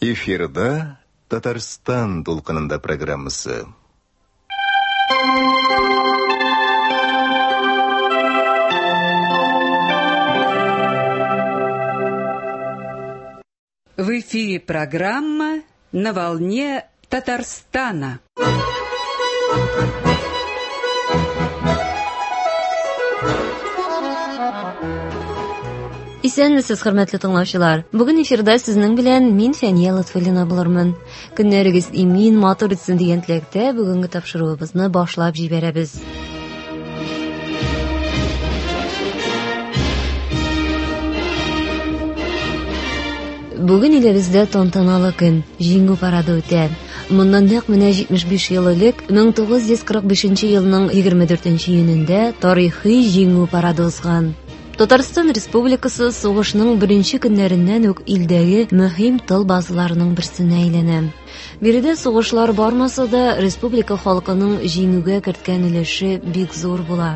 Эфирда Татарстан дулкынында программасы. В эфире программа «На волне Татарстана». Исәнмесез, хөрмәтле тыңлаучылар. Бүген эфирда сезнең белән мин Фәния Лотфуллина булырмын. Көннәрегез имин, матур үтсен дигән теләктә бүгенге тапшыруыбызны башлап җибәрәбез. Бүген илебездә тантаналы көн, Җиңү парады үтә. Моннан нәкъ менә 75 ел элек, 1945 елның 24 июнендә тарихи Җиңү парады узган. Татарстан Республикасы сугышның беренче көннәреннән үк илдәге мөһим тыл базаларының берсенә әйләнә. Биредә сугышлар бармаса да, республика халкының җиңүгә керткән өлеше бик зур була.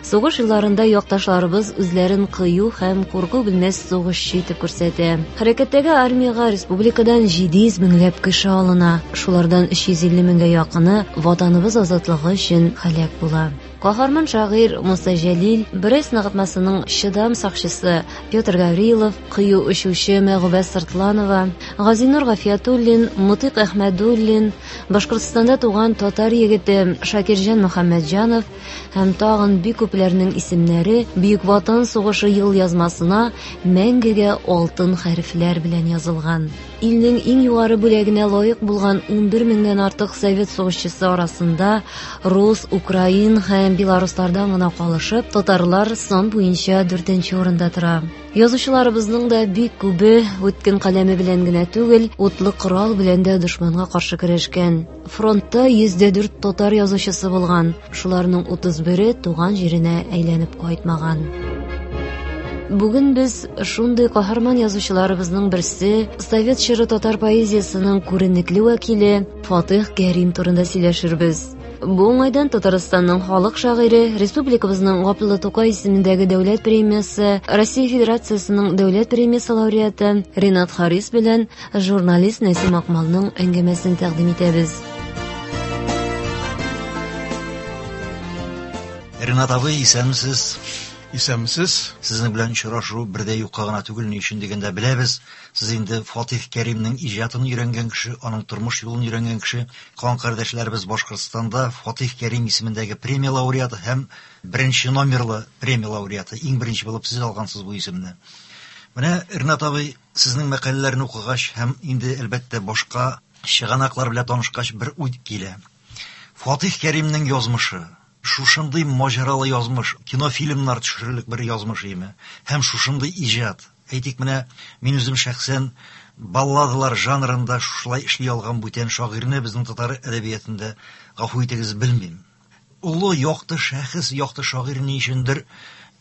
Сугыш елларында якташларыбыз үзләрен кыю һәм курку белмәс сугышчы итеп күрсәтә. Хәрәкәттәге армиягә республикадан 700 меңләп кеше алына. Шулардан 350 меңгә якыны Ватаныбыз азатлыгы өчен һәлак була. Каһарман шагыйрь Муса Җәлил, Брест ныгытмасының чыдам сакчысы Петр Гаврилов, кыю очучы Мәгүбә Сыртланова, Газинур Гафиятуллин, Мутыйк Әхмәдуллин, Башкортстанда туган татар егете Шакирҗан Мөхәммәтҗанов һәм тагын бик күпләрнең исемнәре Бөек Ватан сугышы елъязмасына мәңгегә алтын хәрефләр белән язылган. Илнең иң югары бүләгенә лаек булган 11 меңнән артык совет сугышчысы арасында рус, украин һәм белоруслардан гына калышып, татарлар сан буенча дүртенче урында тора. Язучыларыбызның да бик күбе үткен каләме белән генә түгел, утлы корал белән дә дошманга каршы көрәшкән. Фронтта 104 татар язучысы булган, шуларның 31-е туган җиренә әйләнеп кайтмаган. Бүген без шундый каһарман язучыларыбызның берсе, совет чоры татар поэзиясының күренекле вәкиле Фатих Кәрим турында сөйләшербез. Бу уңайдан Татарстанның халык шагыйре, республикабызның Габдулла Тукай исемендәге дәүләт премиясе, Россия Федерациясенең дәүләт премиясе лауреаты Ренат Харис белән журналист Нәсим Акмалның әңгәмәсен тәкъдим итәбез. Ренат абый, исәнмесез. Исәнмесез. Сезнең белән очрашу бер дә юкка гына түгел, ни өчен дигәндә беләбез. Сез инде Фатих Кәримнең иҗатын өйрәнгән кеше, аның тормыш юлын өйрәнгән кеше. Кан кардәшләребез Башкортстанда Фатих Кәрим исемендәге премия лауреаты һәм беренче номерлы премия лауреаты. Иң беренче булып сез алгансыз бу исемне. Менә, Ренат абый, сезнең мәкаләләрне укыгач һәм инде, әлбәттә, башка чыганаклар белән танышкач бер уй килә. Фатих Кәримнең язмышы, шушындый маҗаралы язмыш, кинофильмнар төшерерлек бер язмыш име, һәм шушындый иҗат. Әйтик, менә мин үзем шәхсән балладалар жанрында шушылай эшли алган бүтән шагыйрьне безнең татар әдәбиятында, гафу итегез, белмим. Олы якты шәхес, якты шагыйрь ни өчендер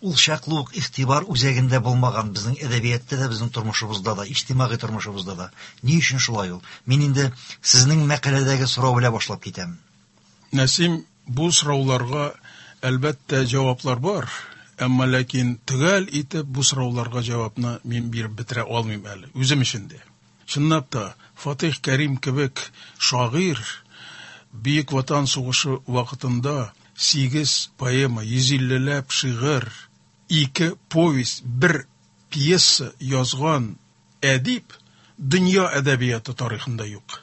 ул чаклы ук игътибар үзәгендә булмаган безнең әдәбиятта да, безнең тормышыбызда да, иҗтимагый тормышыбызда да. Ни өчен шулай ул? Мин инде сезнең мәкаләдәге сорау белән башлап китәм. Нәсим, бу сорауларга әлбәттә җаваплар бар, әмма ләкин төгәл итеп бу сорауларга җавапны мин биреп бетерә алмыйм әле, үзем өчен дә. Чынлап та, Фатих Кәрим кебек шагыйрь Бөек Ватан сугышы вакытында 8 поэма, 150ләп шигырь, 2 повесть, 1 пьеса язган әдип дөнья әдәбияты тарихында юк.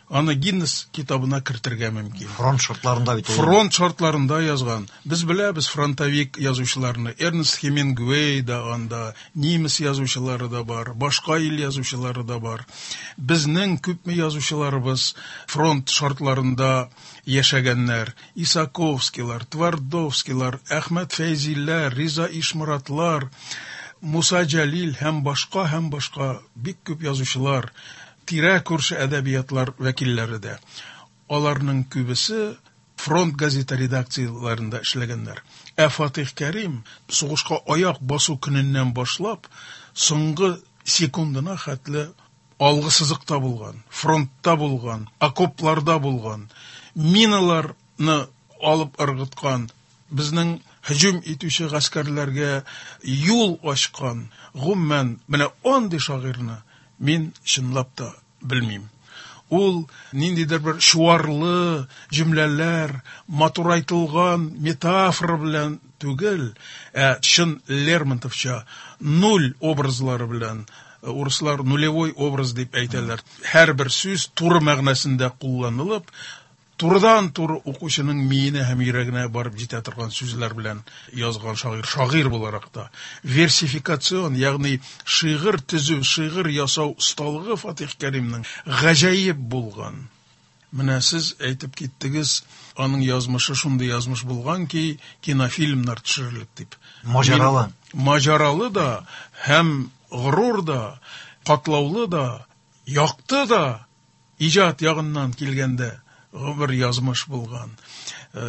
Аны Гиннес китабына кертергә мөмкин. Фронт шартларында бит ул. Фронт шартларында язган. Без беләбез фронтовик язучыларны. Эрнест Хемингуэй да анда, немец язучылары да бар, башка ил язучылары да бар. Безнең күпме язучыларыбыз фронт шартларында яшәгәннәр. Исаковскийлар, Твардовскийлар, Әхмәт Фәйзилләр, Риза Ишморатлар, Муса Җәлил һәм башка, һәм башка бик күп язучылар, тирә күрше әдәбиятлар вәкилләре дә. Аларның күбесе фронт газета редакцияләрендә эшләгәннәр. Ә Фатих Кәрим сугышка аяк басу көненнән башлап соңгы секундына хәтле алгы сызыкта булган, фронтта булган, окопларда булган, миналарны алып ыргыткан, безнең һөҗүм итүче гаскәрләргә юл ачкан, гомумән, менә андый шагыйрьне мин чынлап та белмим. Ул ниндидер бер чуарлы җөмләләр, матурайтылган метафора белән түгел, ә чын Лермонтовча нуль образлары белән, урыслар нулевой образ дип әйтәләр. Һәрбер сүз туры мәгънәсендә кулланылып, турыдан-туры укучының миенә һәм йөрәгенә барып җитә торган сүзләр белән язган шагыйрь, шагыйрь буларак та. Версификацион, ягъни шигырь төзү, шигырь ясау осталыгы Фатих Кәримнең гаҗәеп булган. Менә сез әйтеп киттегез, аның язмышы шундый язмыш булган ки, кинофильмнар төшерерлек дип. Маҗаралы. Маҗаралы да, һәм горур да, катлаулы да, якты да, иҗат ягыннан килгәндә бер язмыш булган.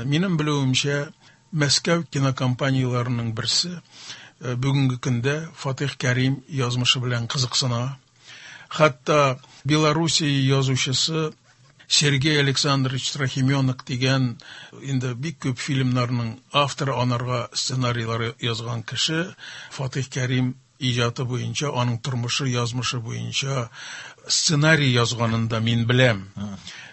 Минем белүемчә, Мәскәү кинокомпанияләренең берсе бүгенге көндә Фатих Кәрим язмышы белән кызыксына. Хәтта Белоруссия язучысы Сергей Александрович Трохименок дигән инде бик күп фильмнарның авторы, анарга сценарийлар язган кеше Фатих Кәрим иҗаты буенча, аның тормышы, язмышы буенча сценарий язганын да мин беләм.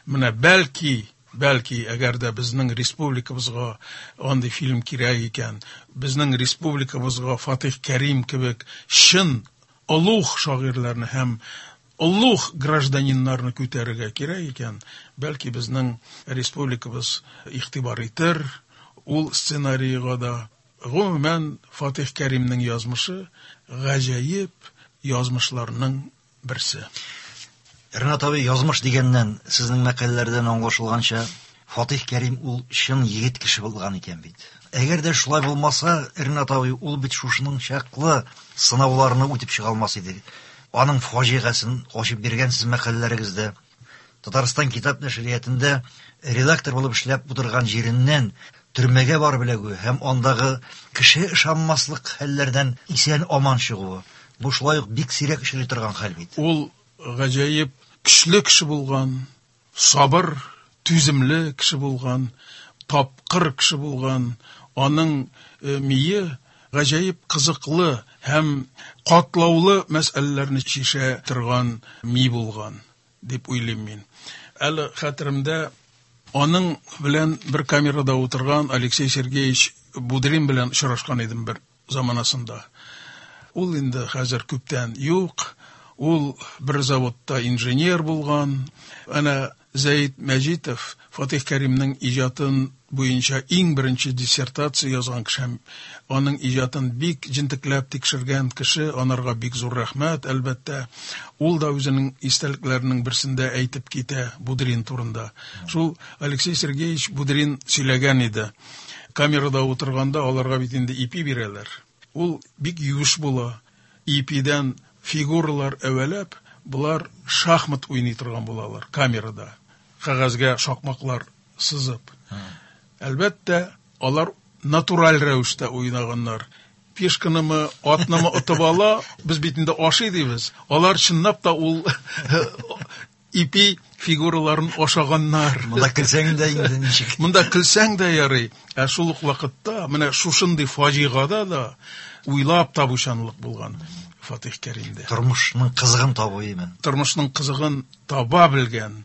Менә бәлки, бәлки, әгәр дә безнең республикабызга андый фильм кирәк икән, безнең республикабызга Фатих Кәрим кебек чын олуг шагыйрьләрне һәм олуг гражданиннарны күтәрергә кирәк икән, бәлки безнең республикабыз игътибар итер ул сценарийга да. Гомумән, Фатих Кәримнең язмышы гаҗәеп язмышларның берсе. Ренат абый, язмыш дигәннән, сезнең мәкаләләрдән аңлашылганча, Фатих Кәрим ул чын егет кеше булган икән бит. Әгәр дә шулай булмаса, Ренат абый, ул бит шушының чаклы сынауларны үтеп чыга алмас иде. Аның фаҗигасын ачып биргәнсез мәкаләләрегездә. Татарстан китап нәшриятында редактор булып эшләп утырган җиреннән төрмәгә барып эләгүе һәм андагы кеше ышанмаслык хәлләрдән исән аман чыгуы. Бу шулай ук бик сирәк очрый торган хәл бит. Ул гаҗәеп көчле кеше булган, сабыр, түземле кеше булган, тапкыр кеше булган. Аның мие гаҗәеп кызыклы һәм катлаулы мәсьәләләрне чишә торган ми булган дип уйлыйм мин. Әле хәтеремдә, аның белән бер камерада утырган Алексей Сергеевич Будрин белән очрашкан идем бер заманасында. Ул инде хәзер күптән юк, ул бер заводта инженер булган. Әнә Зәид Мәҗитов Фатих Кәримнең иҗатын буенча иң беренче диссертация язган кеше һәм аның иҗатын бик җентекләп тикшергән кеше, анарга бик зур рәхмәт, әлбәттә. Ул да үзенең истәлекләренең берсендә әйтеп китә Будрин турында. Шул Алексей Сергеевич Будрин сөйләгән иде. Камерада утырганда аларга бит инде ипи бирәләр. Ул бик юеш була. Ипидән фигуралар әвәләп, болар шахмат уйный торган булалар камерада. Кәгазьгә шакмаклар сызып. Әлбәттә, алар натураль рәвештә уйнаганнар. Пешканымы, атнымы отып ала, без бит инде ашый дибез. Алар чынлап та ул ипи фигураларын ашаганнар. Монда көлсәң дә инде ничек? Монда көлсәң дә ярый. Ә шул ук вакытта менә шушындый фаҗигада да уйлап табучанлык булган Фатих Кәримдә. Тормышның кызыгын табу имен. Тормышның кызыгын таба белгән,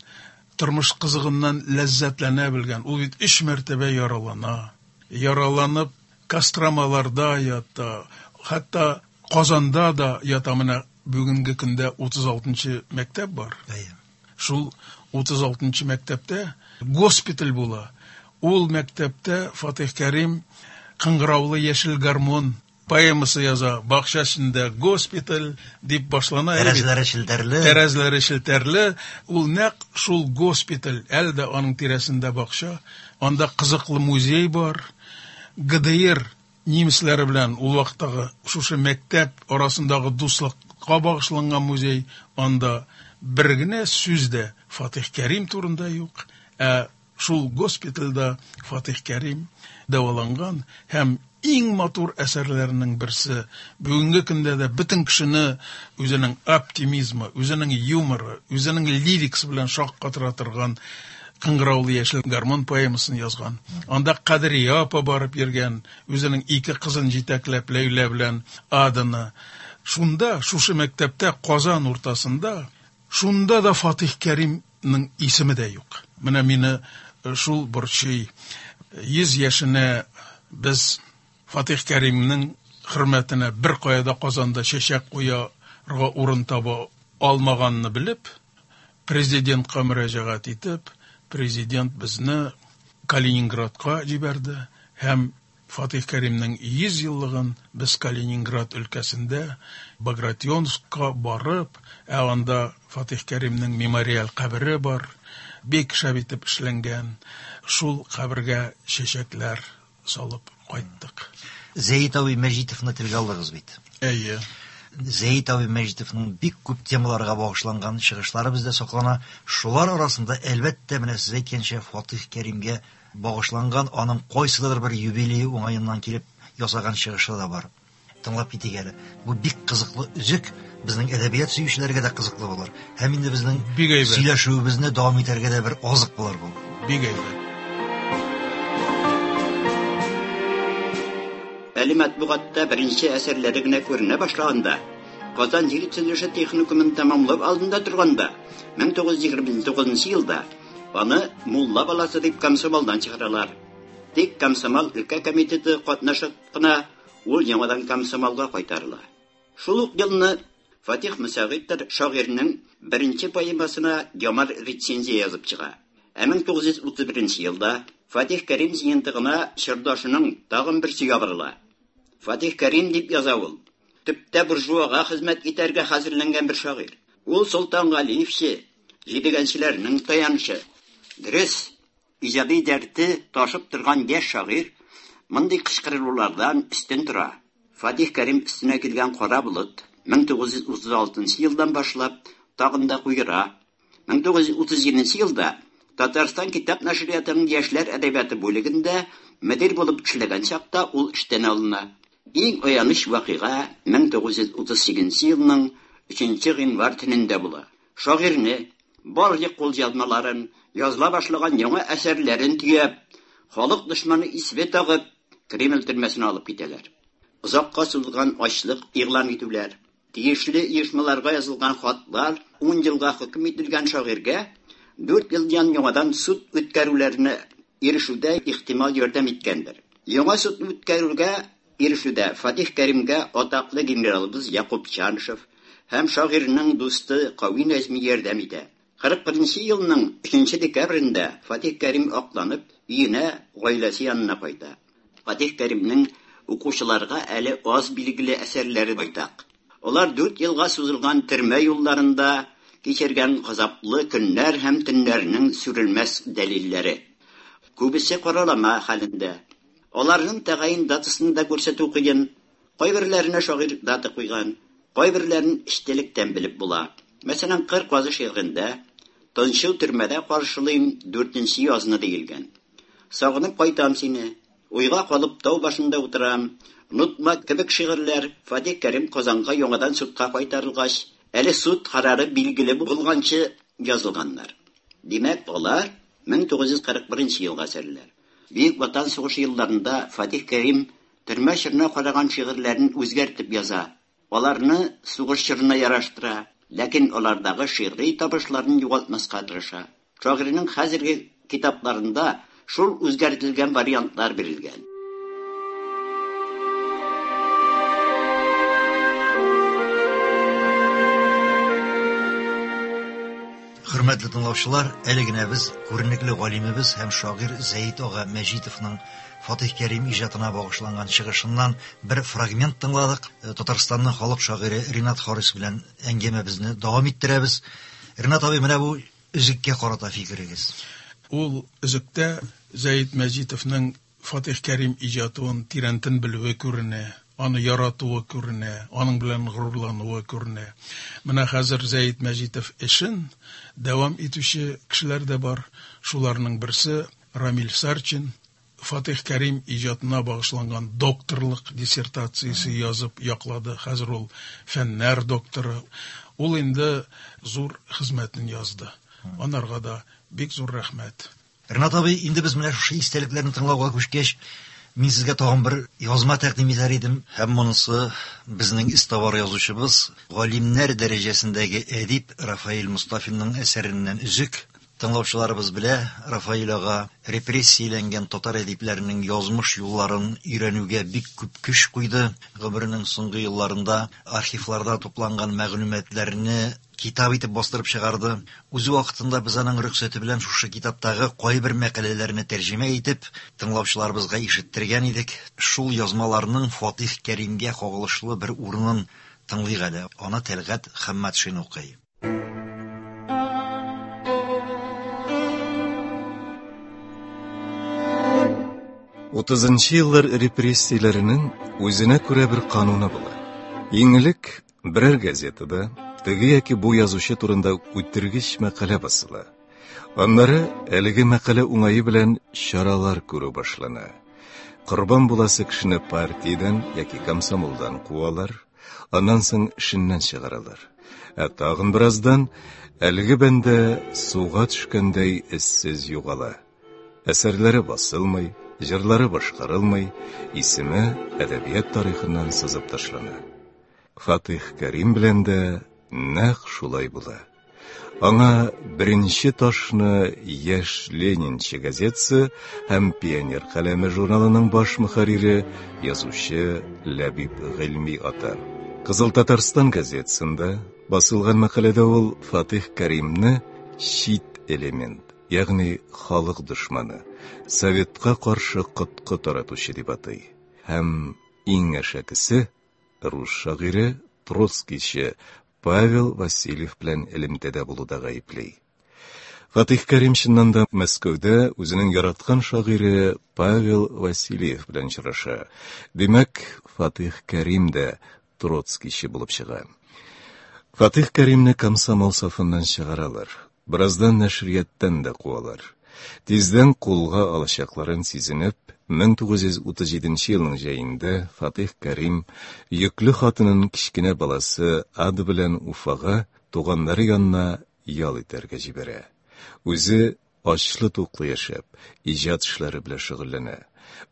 тормыш кызыгыннан ләззәтләнә белгән. Ул бит 3 мәртәбә яралана. Яраланып Костромаларда ята, хәтта Казанда да ята. Менә бүгенге көндә 36-нчы мәктәп бар. Шул 36-нчы мәктәптә госпиталь була. Ул мәктәптә Фатих Кәрим Кыңгыраулы яшел гармон поэмасы яза. Бакча эчендә госпиталь дип башлана. Тәрәзәләре челтәрле. Тәрәзәләре челтәрле. Ул нәкъ шул госпиталь, әле дә аның тирәсендә бакча. Анда кызыклы музей бар. ГДР немецләре белән ул вакыттагы шушы мәктәп арасындагы дуслыкка багышланган музей. Анда бер генә сүз дә Фатих Кәрим турында юк. Ә шул госпитальдә Фатих Кәрим дәваланган һәм иң матур әсәрләренең берсе. Бүгенге көндә дә бөтен кешене үзенең оптимизмы, үзенең юморы, үзенең лирикасы белән шаккатыра торган Кыңгыраулы яшел гармун поэмасын язган. Анда Кадрия апа барып йөргән, үзенең ике кызын җитәкләп Ләйлә белән Аданы. Шунда, шушы мәктәптә, Казан уртасында, шунда да Фатих Кәримнең исеме дә юк. Менә мине шул борчый. 100 яшенә без Фатих Кәримнең хөрмәтенә беркая да Казанда чәчәк куярга урын таба алмаганны белеп, президентка мөрәҗәгать итеп, президент безне Калининградка җибәрде һәм Фатих Кәримнең 100 еллыгын без Калининград өлкәсендә Багратионскка барып, ә анда Фатих Кәримнең мемориаль кабере бар, бик шәп итеп эшләнгән, шул кабергә чәчәкләр салып кайттык. Зәет абый Мәҗитовны телгә алдыгыз бит. Әйе. Зәет абый Мәҗитовның бик күп темаларга багышланган чыгышлары бездә саклана. Шулар арасында, әлбәттә, менә сез әйткәнчә, Фатих Кәримгә багышланган аның кайсыдыр бер юбилее уңаеннан килеп ясаган чыгышы да бар. Тыңлап китик әле. Бу бик кызыклы өзек, безнең әдәбият сөючеләргә дә кызыклы булыр. Һәм инде безнең Бик әйбәт. сөйләшүебезне дәвам итәргә дә бер азык булыр бу. Бик әйбәт. Әле матбугатта беренче әсәрләре генә күренә башлаганда, Казан җир төзелеше техникумын тәмамлап алдында торганда, 1929 елда аны мулла баласы дип комсомолдан чыгаралар. Тик комсомол өлкә комитеты катнашып кына ул яңадан комсомолга кайтарыла. Шул ук елны Фатих Мөсәгыйтов шагыйрьнең беренче поэмасына яман рецензия язып чыга. Ә 1931 елда Фатих Кәрим җыентыгына чордашының тагын берсе ябырыла. Фатих Кәрим дип яза ул. Төптә буржуага хезмәт итәргә хәзерләнгән бер шагыйрь. Ул Солтан Галиевче, җидегәнчеләрнең таянычы. Дөрес, иҗади дәрте ташып торган яшь шагыйрь мондый кычкырулардан өстен тора. Фатих Кәрим өстенә килгән кара болыт 1936 елдан башлап тагын да куера. 1937 елда Татарстан китап нәшриятының яшьләр әдәбияты бүлегендә мөдир булып эшләгән чакта ул эштән алына. Иң аяныч вакыйга 1938 елның 3 гыйнвар төнендә була. Шагыйрьне барлык кулъязмаларын, языла башлаган яңа әсәрләрен төяп, халык дошманы исеме тагып, Кремль төрмәсенә алып китәләр. Озакка сузылган ачлык игълан итүләр, тиешле оешмаларга язылган хатлар 10 елга хөкем ителгән шагыйрьгә 4 елдан яңадан суд үткәрүләренә ирешүдә ихтимал ярдәм иткәндер. Яңа суд үткәрүгә ирешүдә Фатих Кәримгә атаклы генералыбыз Якуб Чанышев һәм шагыйрьнең дусты Кави Нәҗми ярдәм итә. 41 елның 3 декабрендә Фатих Кәрим акланып, өенә, гаиләсе янына кайта. Фатих Кәримнең укучыларга әле аз билгеле әсәрләре байтак. Алар 4 елга сузылган төрмә юлларында кичергән газаплы көннәр һәм төннәрнең сүрелмәс дәлилләре. Күбесе каралама хәлендә. Аларның тәгаен датасын да күрсәтү кыен. Кайберләренә шагыйрь дата куйган, кайберләрен эчтәлектән белеп була. Мәсәлән, Кыр казы шигырендә Тынчу төрмәдә каршылыйм 4 язны диелгән. Сагынып кайтам сине, уйга калып тау башында утырам. Онытма кебек шигырьләр Фатих Кәрим Казанга яңадан судка кайтарылгач, әле суд карары билгеле булганчы язылганнар. Димәк, алар 1941 елга әсәрләр. Бөек Ватан сугышы елларында Фатих Кәрим төрмә чорына караган шигырьләрен үзгәртеп яза. Аларны сугыш чорына яраштыра, ләкин алардагы шигъри табышларын югалтмаска тырыша. Шагыйрьнең хәзерге китапларында шул үзгәртелгән вариантлар бирелгән. Хөрмәтле тыңлаучылар, әле генә без күренекле галимебез һәм шагыйрь Зәет ага Мәҗитовның Фатих Кәрим иҗатына багышланган чыгышыннан бер фрагмент тыңладык. Татарстанның халык шагыйре Ринат Харис белән әңгәмәбезне дәвам иттерәбез. Ринат абый, менә бу өзеккә карата фикерегез. Ул өзектә Зәет Мәҗитовның Фатих Кәрим иҗатын тирәнтен белүе күренә, аны яратуы күренә, аның белән горурлануы күренә. Менә хәзер Зәет Мәҗитов эшен дәвам итүче кешеләр дә бар. Шуларның берсе Рамил Сарчин. Фатих Кәрим иҗатына багышланган докторлык диссертациясе язып яклады. Хәзер ул фәннәр докторы. Ул инде зур хезмәтен язды. Анарга да Бик зур рәхмәт. Ренат абый, инде без менә шушы истәлекләрне тыңлауга күчкәч, мин сезгә тагын бер язма тәкъдим итәр идем. Һәм монысы безнең эзтабар язучыбыз, галимнәр дәрәҗәсендәге әдип Рафаэль Мостафинның әсәреннән өзек. Тыңлаучыларыбыз белә, Рафаэль ага репрессияләнгән татар әдипләренең язмыш юлларын өйрәнүгә бик күп көч куйды. Гомеренең соңгы елларында архивларда тупланган мәгълүматларны китап итеп бастырып чыгарды. Үзе вакытында без аның рөхсәте белән шушы китаптагы кайбер мәкаләләрне тәрҗемә итеп, тыңлаучыларыбызга ишеттергән идек. Шул язмаларның Фатих Кәримгә кагылышлы бер урынын тыңлыйк әле. Аны Тәлгать Хәммәтшин укый. Утызынчы еллар репрессияләренең үзенә күрә бер кануны була. Иң элек берәр газетада теге яки бу язучы турында үтергеч мәкалә басыла. Аннары әлеге мәкалә уңае белән чаралар күрү башлана. Корбан буласы кешене партиядән яки комсомолдан куалар, аннан соң эшеннән чыгаралар. Ә тагын бераздан әлеге бәндә суга төшкәндәй эзсез югала. Әсәрләре басылмый, җырлары башкарылмый, исеме әдәбият тарихыннан сызып ташлана. Фатих Кәрим белән дә нәкъ шулай була. Аңа беренче ташны Яшь Ленинчы газетасы һәм Пионер каләме журналының баш мөхәррире, язучы Ләбиб Гыйльми ата. Кызыл Татарстан газетасында басылган мәкаләдә ул Фатих Кәримне чит элемент, ягъни халык дошманы, советка каршы коткы таратучы дип атый. Һәм иң әшәкесе, рус шагыйре, троцкийчы Павел Васильев белән элемтәдә булуда гаепли. Фатих Кәрим чыннан да Мәскәүдә үзенең яраткан шагыйре Павел Васильев белән очраша. Димәк, Фатих Кәрим дә троцкийчы булып чыга. Фатих Кәримне комсомол сафыннан чыгаралар. Бераздан нәшрияттан да куалар. Тиздән кулга алачакларын сизенеп, 1937 елның җәендә Фатих Кәрим йөкле хатынын кечкенә баласы Ада белән Уфага туганнары янына ял итәргә җибәрә. Үзе ачлы-туклы яшәп, иҗат эшләре белән шөгыльләнә.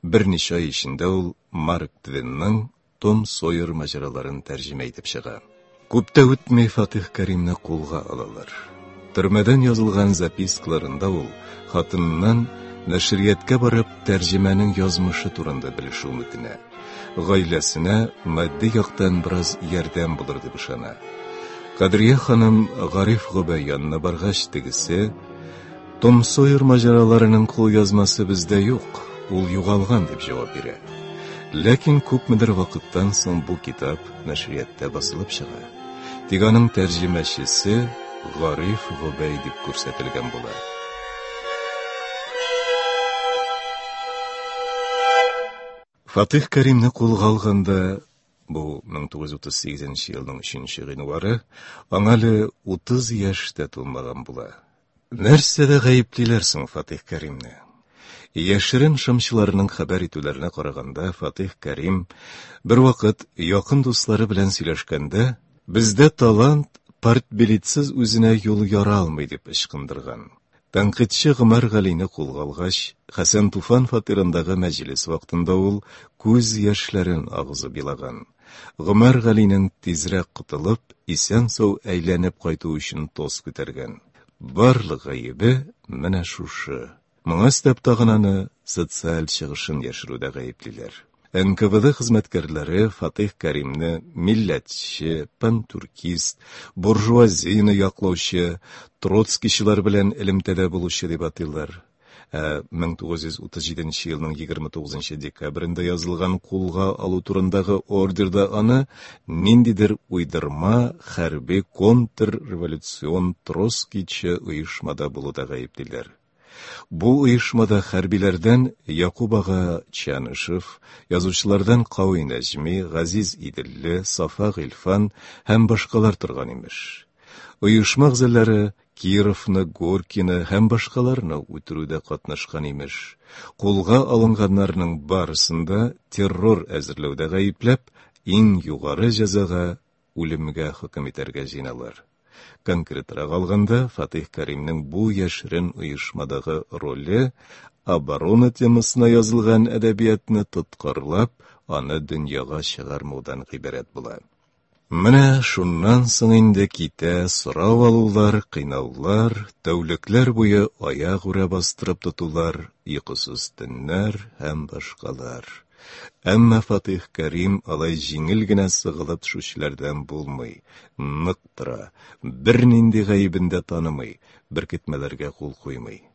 Берничә ай эчендә ул Марк Твенның Том Сойер маҗараларын тәрҗемә итеп чыга. Күп тә үтми Фатих Кәримне кулга алалар. Төрмәдән язылган запискаларында ул хатыныннан нәшрияткә барып тәрҗемәнең язмышы турында белешүен үтенә. Гаиләсенә матди яктан бераз ярдәм булыр дип ышана. Кадрия ханым Гариф Гобәй янына баргач, тегесе: Том Сойер маҗараларының кулъязмасы бездә юк, ул югалган, дип җавап бирә. Ләкин күпмедер вакыттан соң бу китап нәшриятта басылып чыга. Тик аның тәрҗемәчесе Гариф Гобәй дип күрсәтелгән була. Фатих Кәримне кулга алганда, бу 1938 елның 3 гыйнвары, аңа әле 30 яшь тә тулмаган була. Нәрсәдә гаеплиләр соң Фатих Кәримне? Яшерен шымчыларның хәбәр итүләренә караганда, Фатих Кәрим бервакыт якын дуслары белән сөйләшкәндә, бездә талант партбилетсыз үзенә юл яра алмый дип ычкындырган. Тәнкыйтьче Гомәр Галине кулга алгач, Хәсән Туфан фатирындагы мәҗлес вакытында ул күз яшьләрен агызып елаган. Гомәр Галинең тизрәк котылып, исән-сау әйләнеп кайту өчен тост күтәргән. Барлык гаебе менә шушы. Моңа өстәп тагын аны социаль чыгышын яшерүдә гаеплиләр. НКВД хезмәткәрләре Фатих Кәримне милләтче, пантюркист, буржуазияне яклаучы, троцкийчылар белән элемтәдә булучы дип атыйлар. Ә 1937 елның 29 декабрендә язылган кулга алу турындагы ордерда аны ниндидер уйдырма хәрби контрреволюцион троцкийчы оешмада булуда гаеплиләр. Бу оешмада хәрбиләрдән Якуб ага Чанышев, язучылардан Кави Нәҗми, Газиз Иделле, Сафа Гыйльфан һәм башкалар торган имеш. Оешма әгъзалары Кировны, Горькийны һәм башкаларны үтерүдә катнашкан имеш. Кулга алынганнарның барысын да террор әзерләүдә гаепләп, иң югары җәзага үлемгә хөкем итәргә җыеналар. Конкретрак алганда, Фатих Кәримнең бу яшерен оешмадагы роле оборона темасына язылган әдәбиятны тоткарлап, аны дөньяга чыгармаудан гыйбарәт була. Менә шуннан соң инде китә сорау алулар, кыйнаулар, тәүлекләр буе аягүрә бастырып тотулар, йокысыз төннәр һәм башкалар. Әмма Фатих Кәрим алай җиңел генә сыгылып төшүчеләрдән булмый, нык тора, бернинди гаебен дә танымый, беркетмәләргә кул куймый.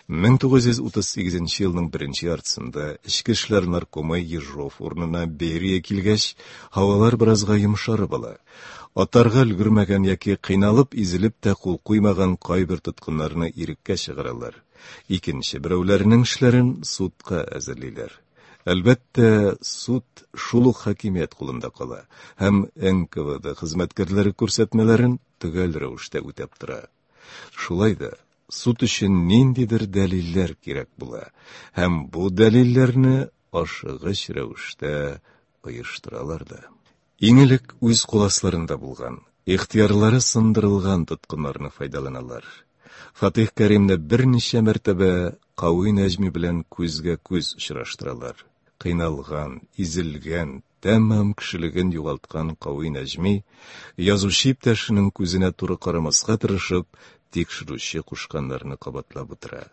1938 елның беренче яртысында Эчке эшләр наркомы Ежов урынына Берия килгәч, һавалар беразга йомшарып ала. Атарга өлгермәгән яки кыйналып изелеп тә кул куймаган кайбер тоткыннарны иреккә чыгаралар. Икенче берәүләренең эшләрен судка әзерлиләр. Әлбәттә, суд шул ук хакимият кулында кала һәм НКВД хезмәткәрләре күрсәтмәләрен төгәл рәвештә үтәп тора. Шулай да суд өчен ниндидер дәлилләр кирәк була һәм бу дәлилләрне ашыгыч рәвештә оештыралар да. Иң элек үз кул асларында булган, ихтыярлары сындырылган тоткыннарны файдаланалар. Фатих Кәримне берничә мәртәбә Кави Нәҗми белән күзгә-күз очраштыралар. Кыйналган, изелгән, тәмам кешелеген югалткан Кави Нәҗми, язучы иптәшенең күзенә туры карамаска тырышып, тикшерүче кушканнарны кабатлап утыра.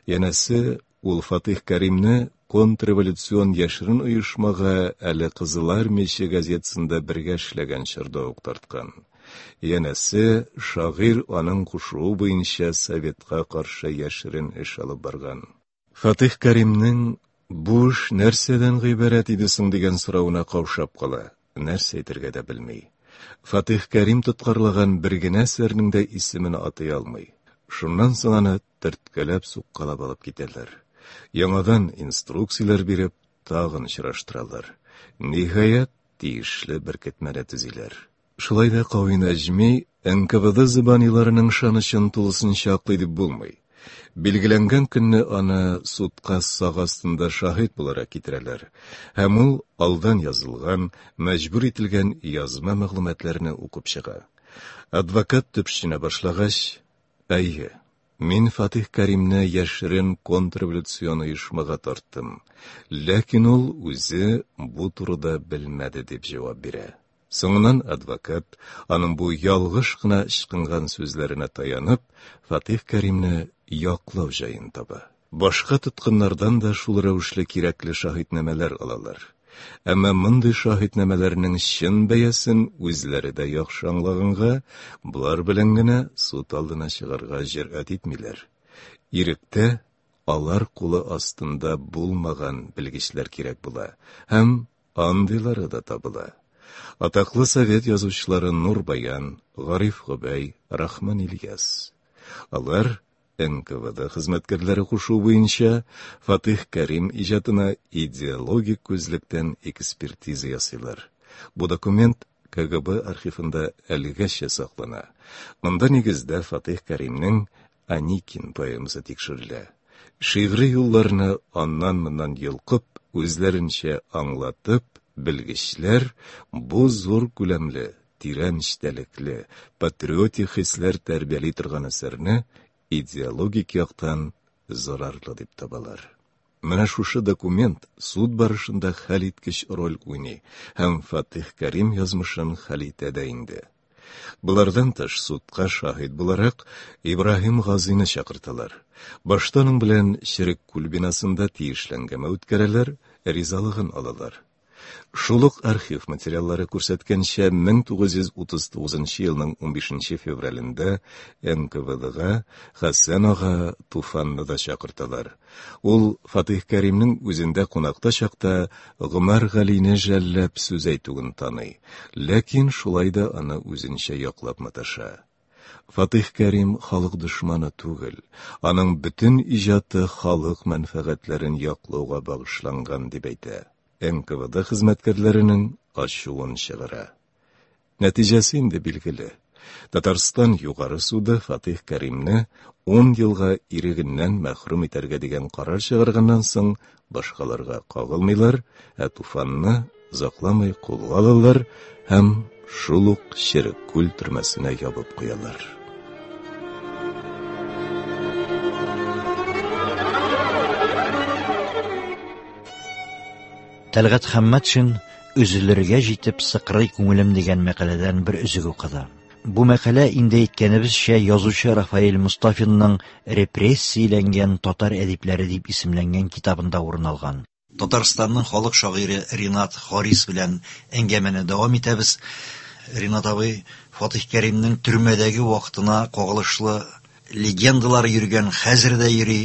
Янәсе, ул Фатих Кәримне контрреволюцион яшерен оешмага әле Кызыл Армияче газетасында бергә эшләгән чорда ук тарткан. Янәсе, шагыйрь аның кушуы буенча советка каршы яшерен эш алып барган. Фатих Кәримнең бу эш нәрсәдән гыйбарәт иде соң дигән соравына каушап кала, нәрсә әйтергә дә белми. Фатих Кәрим тоткарлаган бер генә әсәрнең дә исемен атый алмый. Шуннан соң аны төрткәләп суккалап алып китәләр. Яңадан инструкцияләр биреп, тагын очраштыралар. Ниһаять, тиешле беркетмәне төзиләр. Шулай да Кави Нәҗми НКВД зыбаниларының ышанычын тулысынча аклый дип булмый. Билгеләнгән көнне аны судка сак астында шаһит буларак китерәләр, һәм ул алдан язылган, мәҗбүр ителгән язма мәгълүматларны укып чыга. Адвокат төпченә башлагач, әйе, мин Фатих Кәримне яшерен контрреволюцион оешмага тарттым, ләкин ул үзе бу турыда белмәде дип җавап бирә. Соңыннан адвокат, аның бу ялгыш кына ычкынган сүзләренә таянып, Фатих Кәримне яклау җаен таба. Башка тоткыннардан да шул рәвешле кирәкле шаһитнамәләр алалар. Әмма мондый шаһитнамәләрнең чын бәясен үзләре дә яхшы аңлаганга, болар белән генә суд алдына чыгарга җөрьәт итмиләр. Иректә алар кулы астында булмаган белгечләр кирәк була һәм андыйлары да табыла. Атаклы совет язучылары Нур Баян, Гариф Гобәй, Рахман Ильяс. Алар НКВД хезмәткәрләре кушуы буенча Фатих Кәрим иҗатына идеологик күзлектән экспертиза ясыйлар. Бу документ КГБ архивында әлегәчә саклана. Монда нигездә Фатих Кәримнең Аникин поэмасы тикшерелә. Шигъри юлларны аннан-моннан йолкып, үзләренчә аңлатып, белгечләр бу зур күләмле, тирән эчтәлекле, патриотик хисләр тәрбияли торган әсәрне идеологик яктан зарарлы дип табалар. Менә шушы документ суд барышында хәлиткеч роль уйный һәм Фатих Кәрим язмышын хәл итә дә инде. Болардан тыш судка шаһит буларак Ибраһим Газины чакырталар. Башта аның белән Черек күл бинасында тиешле әңгәмә үткәрәләр, ризалыгын алалар. Шул ук архив материаллары күрсәткәнчә, 1939 елның 15 февралендә НКВДга Хәсән ага Туфанны да чакырталар. Ул Фатих Кәримнең үзендә кунакта чакта Гомәр Галине жәлләп сүз әйтүен таный, ләкин шулай да аны үзенчә яклап маташа. Фатих Кәрим халык дошманы түгел, аның бөтен иҗаты халык мәнфәгатьләрен яклауга багышланган дип әйтә. НКВД хезмәткәрләренең ачуын чыгара. Нәтиҗәсе инде билгеле. Татарстан Югары суды Фатих Кәримне 10 елга ирегеннән мәхрүм итәргә дигән карар чыгарганнан соң башкаларга кагылмыйлар, ә Туфанны озакламый кулга алалар һәм шул ук Черек күл төрмәсенә ябып куялар. Тәлгать Хәммәтшин Өзелергә җитеп сыкрый күңелем дигән мәкаләдән бер өзек укыды. Бу мәкалә инде әйткәнебезчә язучы Рафаэль Мостафинның Репрессияләнгән татар әдипләре дип исемләнгән китабында урын алган. Татарстанның халык шагыйре Ринат Харис белән әңгәмәне дәвам итәбез. Ринат абый, Фатих Кәримнең төрмәдәге вакытына кагылышлы легендалар йөргән, хәзер дә йөри.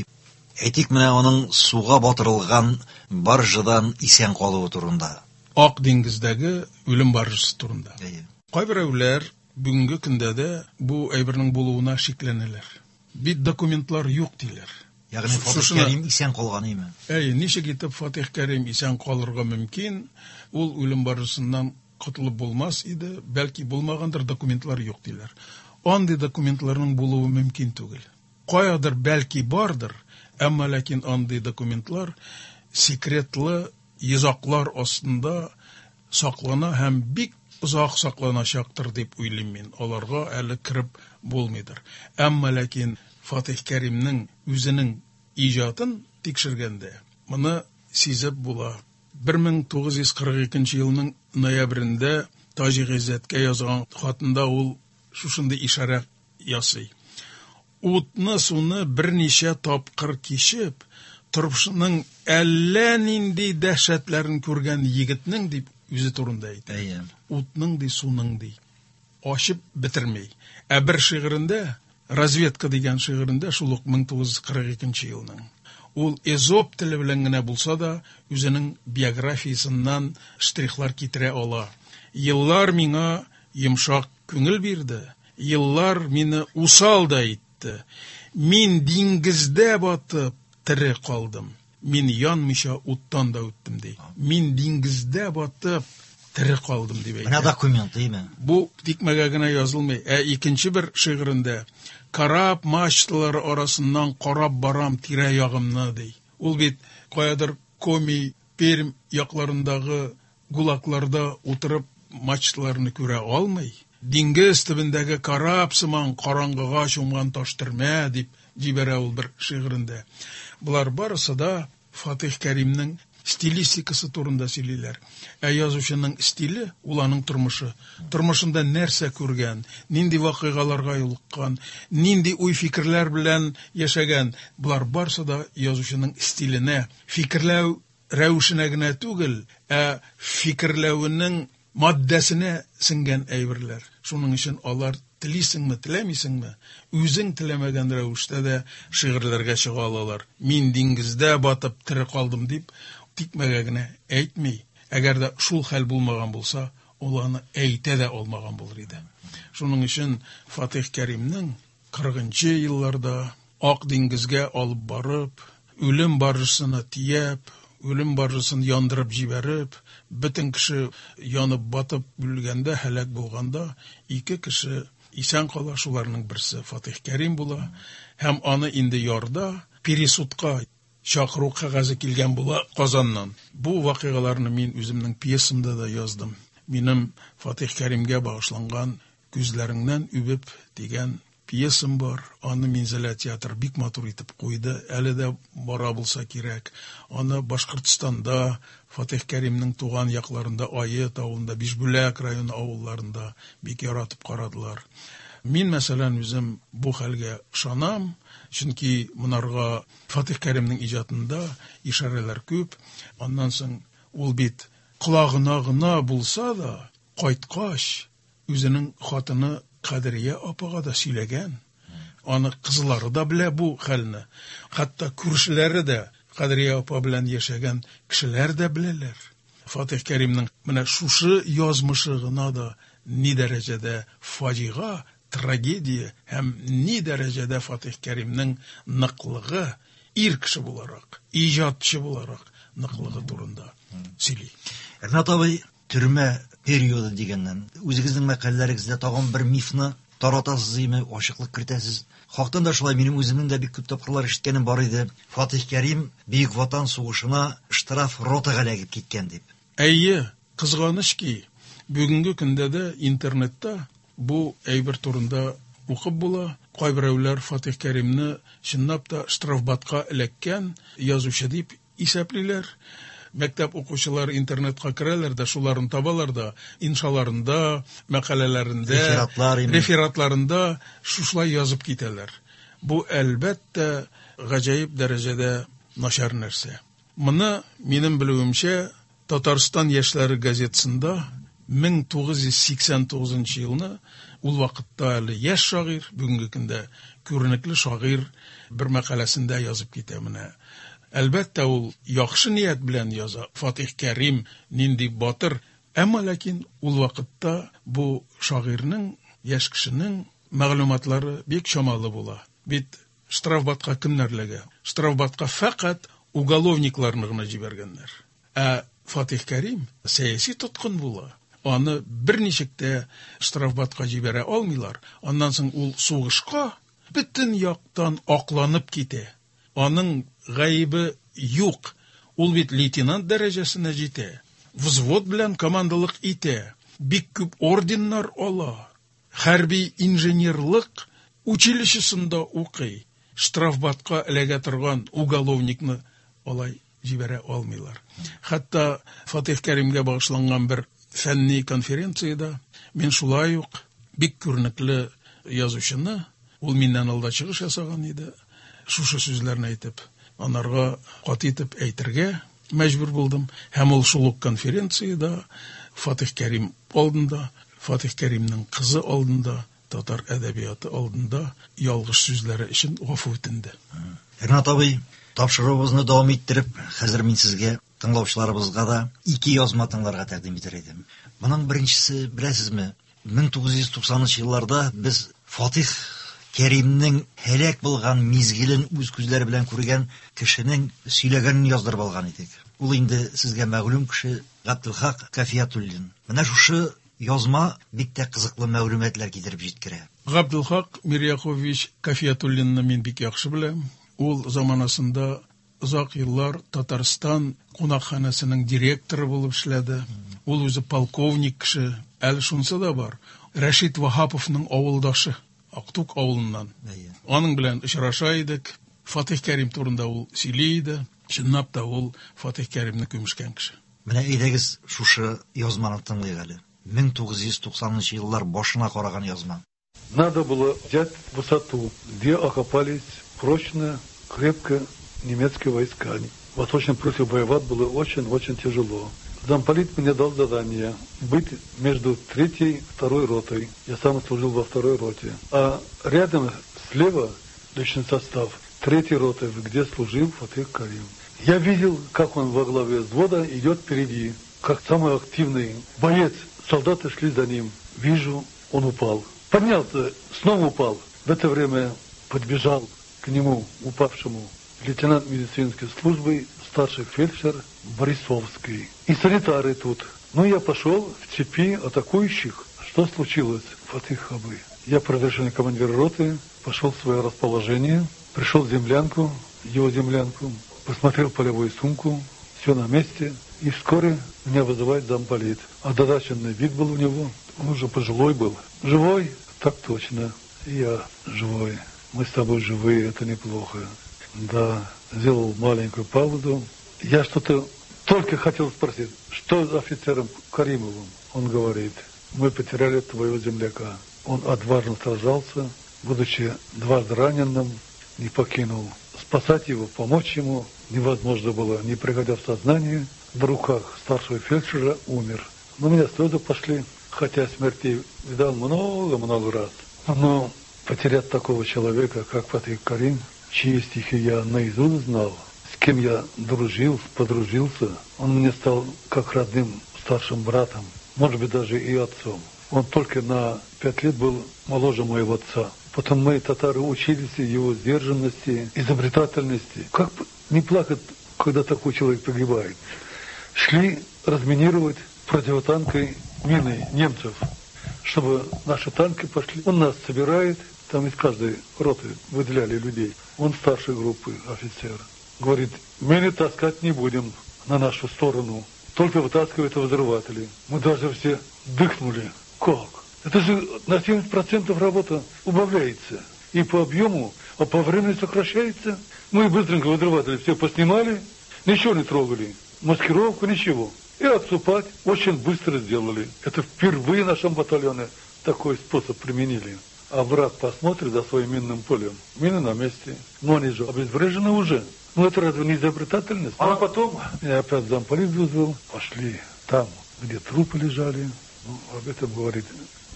Әйтик, менә аның суга батырылган баржадан исән калуы турында. Ак диңгездәге үлем баржасы турында. Кайберәүләр бүгенге көндә дә бу әйбернең булуына шикләнәләр. Бит документлар юк диләр. Ягъни Фатих Кәрим исән калган име? Әйе, ничек итеп Фатих Кәрим исән калырга мөмкин? Ул үлем баржасыннан котылып булмас иде, бәлки булмагандыр, документлар юк диләр. Андый документларның булуы мөмкин түгел. Каядыр бәлки бардыр, әмма ләкин андый документлар секретлы йозаклар астында саклана һәм бик озак сакланачактыр дип уйлыйм мин. Аларга әле кереп булмыйдыр. Әмма ләкин Фатих Кәримнең үзенең иҗатын тикшергәндә моны сизеп була. 1942 елның ноябрендә Таҗи Гыйззәткә язган хатында ул шушындый ишарә ясый. Утны, суны берничә тапкыр кичеп, тормышның әллә нинди дәһшәтләрен күргән егетнең дип үзе турында әйтә. Әйе. Утның ди, суның ди. Ачып бетерми. Ә бер шигырендә, Разведка дигән шигырендә, шул ук 1942 елның, ул эзоп теле белән генә булса да, үзенең биографиясеннән штрихлар китерә ала. Еллар миңа йомшак күңел бирде, еллар мине усал да итте. Мин диңгездә батып тере калдым. Мин янмыйча уттан да үттем, ди. Мин диңгездә батып тере калдым, дип әйтә. Менә документ, димме? Бу тикмәгә генә язылмый. Ә икенче бер шигырендә кораб мачталары арасыннан карап барам тирә-ягымны, ди. Ул бит каядыр Коми, Пермь якларындагы гулакларда утырып мачталарны күрә алмый. Диңгез төбендәге кораб сыман караңгыга чумган таштырма дип җибәрә ул бер шигырендә. Болар барысы да Фатих Кәримнең стилистикасы турында сөйлиләр. Ә язучының стиле ул аның тормышы. Тормышында нәрсә күргән, нинди вакыйгаларга юлыккан, нинди уй-фикерләр белән яшәгән, болар барысы да язучының стиленә, фикерләү рәвешенә генә түгел, ә фикерләвенең маддәсенә сеңгән әйберләр. Шуның өчен алар телисеңме, теләмисеңме, үзең теләмәгән рәвештә дә шигырьләргә чыга алалар. Мин диңгездә батып тере калдым дип тикмәгә генә әйтми. Әгәр дә шул хәл булмаган булса, ул аны әйтә дә алмаган булыр иде. Шуның өчен Фатих Кәримнең 40 елларда Ак диңгезгә алып барып, үлем баржасына тияп, үлем баржасын яндырып җибәреп, бөтен кеше янып батып үлгәндә, һәлак булганда, ике кеше исән кала, шуларның берсе Фатих Кәрим була, һәм аны инде ярда пересудка чакыру кәгазе килгән була Казаннан. Бу вакыйгаларны мин үземнең пьесамда да яздым. Минем Фатих Кәримгә багышланган Күзләреңнән үбеп дигән пьесам бар. Аны Минзәлә театры бик матур итеп куйды. Әле дә бара булса кирәк. Аны Башкортстанда, Фатих Кәримнең туган якларында, Ает авылында, Бишбүләк районы авылларында бик яратып карадылар. Мин, мәсәлән, үзем бу хәлгә ышанам, чөнки монарга Фатих Кәримнең иҗатында ишарәләр күп. Аннан соң ул бит колагына гына булса да, кайткач, үзенең хатыны Кадрия апага да сөйләгән. Аны кызлары да белә бу хәлне. Хәтта күршеләре дә, Кадрия апа белән яшәгән кешеләр дә беләләр. Фатих Кәримнең менә шушы язмышы гына да ни дәрәҗәдә фаҗига, трагедия һәм ни дәрәҗәдә Фатих Кәримнең ныклыгы, ир кеше буларак, иҗатчы буларак ныклыгы турында сөйли. Ринат абый, төрмә периоды дигәннән, үзегезнең мәкаләләрегездә тагын бер мифны таратасыз име, ачыклык кертәсез. Хактан да шулай, минем үземнең дә бик күп тапкырлар ишеткәнем бар иде. Фатих Кәрим Бөек Ватан сугышына штраф ротага эләгеп киткән дип. Әйе, кызганыч ки, Бүгенге көндә дә интернетта бу әйбер турында укып була. Кайберәүләр Фатих Кәримне чынлап та штрафбатка эләккән язучы дип исәплиләр. Мәктәп укучылары интернетка керәләр дә, шуларын табалар да, иншаларында, мәкаләләрендә, рефератларында шушылай язып китәләр. Бу, әлбәттә, гаҗәеп дәрәҗәдә начар нәрсә. Моны, минем белүемчә, Татарстан яшьләре газетасында 1989 елны, ул вакытта әле яшь шагыйрь, бүгенге көндә күренекле шагыйрь бер мәкаләсендә язып китә менә. Әлбәттә, ул яхшы ният белән яза. Фатих Кәрим нинди батыр. Әмма ләкин ул вакытта бу шагыйрьнең, яшь кешенең мәгълүматлары бик чамалы була. Бит штрафбатка кемнәр эләгә? Штрафбатка фәкать уголовникларны гына җибәргәннәр. Ә Фатих Кәрим сәяси тоткын була. Аны берничек тә штрафбатка җибәрә алмыйлар. Аннан соң ул сугышка бөтен яктан акланып китә. Аның гаебе юк. Ул бит лейтенант дәрәҗәсенә җитә. Взвод белән командалык итә. Бик күп орденнар ала. Хәрби инженерлык училищесында укый. Штрафбатка эләгә торган уголовникны алай җибәрә алмыйлар. Хәтта Фатих Кәримгә багышланган бер фәнни конференциядә мин шулай ук бик күренекле язучыны, ул миннән алда чыгыш ясаган иде, шушы сүзләрне әйтеп, анарга каты итеп әйтергә мәҗбүр булдым. Һәм ул шул ук конференциядә Фатих Кәрим алдында, Фатих Кәримнең кызы алдында, татар әдәбияты алдында ялгыш сүзләре өчен гафу үтенде. Ринат абый, тапшыруыбызны дәвам иттереп, хәзер мин сезгә, тыңлаучыларыбызга да ике язма тыңларга тәкъдим итәр идем. Моның беренчесе, беләсезме, 1990 елларда без Фатих Кәримнең һәлак булган мизгелен үз күзләре белән күргән кешенең сөйләгәнен яздырып алган идек. Ул инде сезгә мәгълүм кеше Габделхак Кафиятуллин. Менә шушы язма бик тә кызыклы мәгълүматлар китереп җиткерә. Габделхак Мирьякович Кафиятуллинны мин бик яхшы беләм. Ул заманасында озак еллар Татарстан кунакханәсенең директоры булып эшләде. Ул үзе полковник кеше. Әле шунысы да бар. Рәшит Ваһаповның авылдашы, Актук авылыннан. Аның белән очраша идек. Фатих Кәрим турында ул сөйли иде. Чынлап та ул Фатих Кәримне күмешкән кеше. Менә әйдәгез шушы язманы тыңлыйк әле. 1990 еллар башына караган язма. Надо было взять высоту, где окопались прочно, крепко немецкие войска. В Восточной Пруссии воевать было очень-очень тяжело. Замполит мне дал задание быть между третьей и второй ротой. Я сам служил во второй роте. А рядом слева личный состав третьей роты, где служил Фатих Карим. Я видел, как он во главе взвода идет впереди, как самый активный боец. Солдаты шли за ним. Вижу, он упал. Поднялся, снова упал. В это время подбежал к нему, упавшему, лейтенант медицинской службы, старший фельдшер Борисовский. И санитары тут. Ну, я пошел в цепи атакующих. Что случилось, Фатих Хабы? Я, по разрешению командира роты, пошел в свое расположение, пришел в землянку, его землянку, посмотрел полевую сумку, все на месте. И вскоре меня вызывает замполит. Озадаченный вид был у него, он уже пожилой был. Живой? Так точно. Я живой. Мы с тобой живые, это неплохо. Да, сделал маленькую паузу. Я что-то только хотел спросить, что с офицером Каримовым? Он говорит, мы потеряли твоего земляка. Он отважно сражался, будучи дважды раненым, не покинул. Спасать его, помочь ему невозможно было, не приходя в сознание, в руках старшего фельдшера умер. Но у меня слезы пошли, хотя смерти видал много-много раз. Но потерять такого человека, как Фатих Карим, чьи стихи я наизусть знал, с кем я дружил, подружился, он мне стал как родным старшим братом, может быть, даже и отцом. Он только на 5 лет был моложе моего отца. Потом мы, татары, учились его сдержанности, изобретательности. Как не плакать, когда такой человек погибает? Шли разминировать противотанковой мины немцев, чтобы наши танки пошли. Он нас собирает, там из каждой роты выделяли людей. Он старшей группы офицер. Говорит, мины таскать не будем на нашу сторону. Только вытаскивают взрыватели. Мы даже все дыхнули. Как? Это же на 70% работа убавляется. И по объему, а по времени сокращается. Мы быстренько взрыватели все поснимали, ничего не трогали. Маскировку, ничего. И отступать очень быстро сделали. Это впервые в нашем батальоне такой способ применили. А враг посмотрит за своим минным полем. Мины на месте. Но они же обезврежены уже. Ну это разве не изобретательность? А потом меня опять замполит вызвал. Пошли там, где трупы лежали. Ну, об этом говорить,